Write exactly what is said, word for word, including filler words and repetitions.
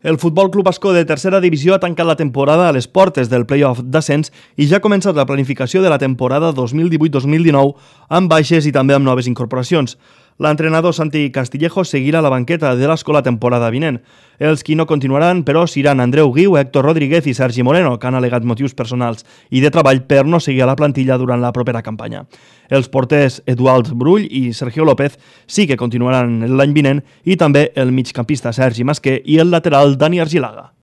El Futbol Club Ascó de tercera divisió ha tancat la temporada a les portes del play-off d'ascens i ja ha començat la planificació de la temporada dos mil divuit dos mil dinou amb baixes i també amb noves incorporacions. L'entrenador Santi Castillejo seguirà a la banqueta de l'Ascó la temporada vinent. Els qui no continuaran, però, seran Andreu Guiu, Héctor Rodríguez i Sergi Moreno, que han al·legat motius personals i de treball per no seguir a la plantilla durant la propera campanya. Els porters Eduard Brull i Sergio López sí que continuaran l'any vinent i també el migcampista Sergi Masquer i el lateral Dani Argilaga.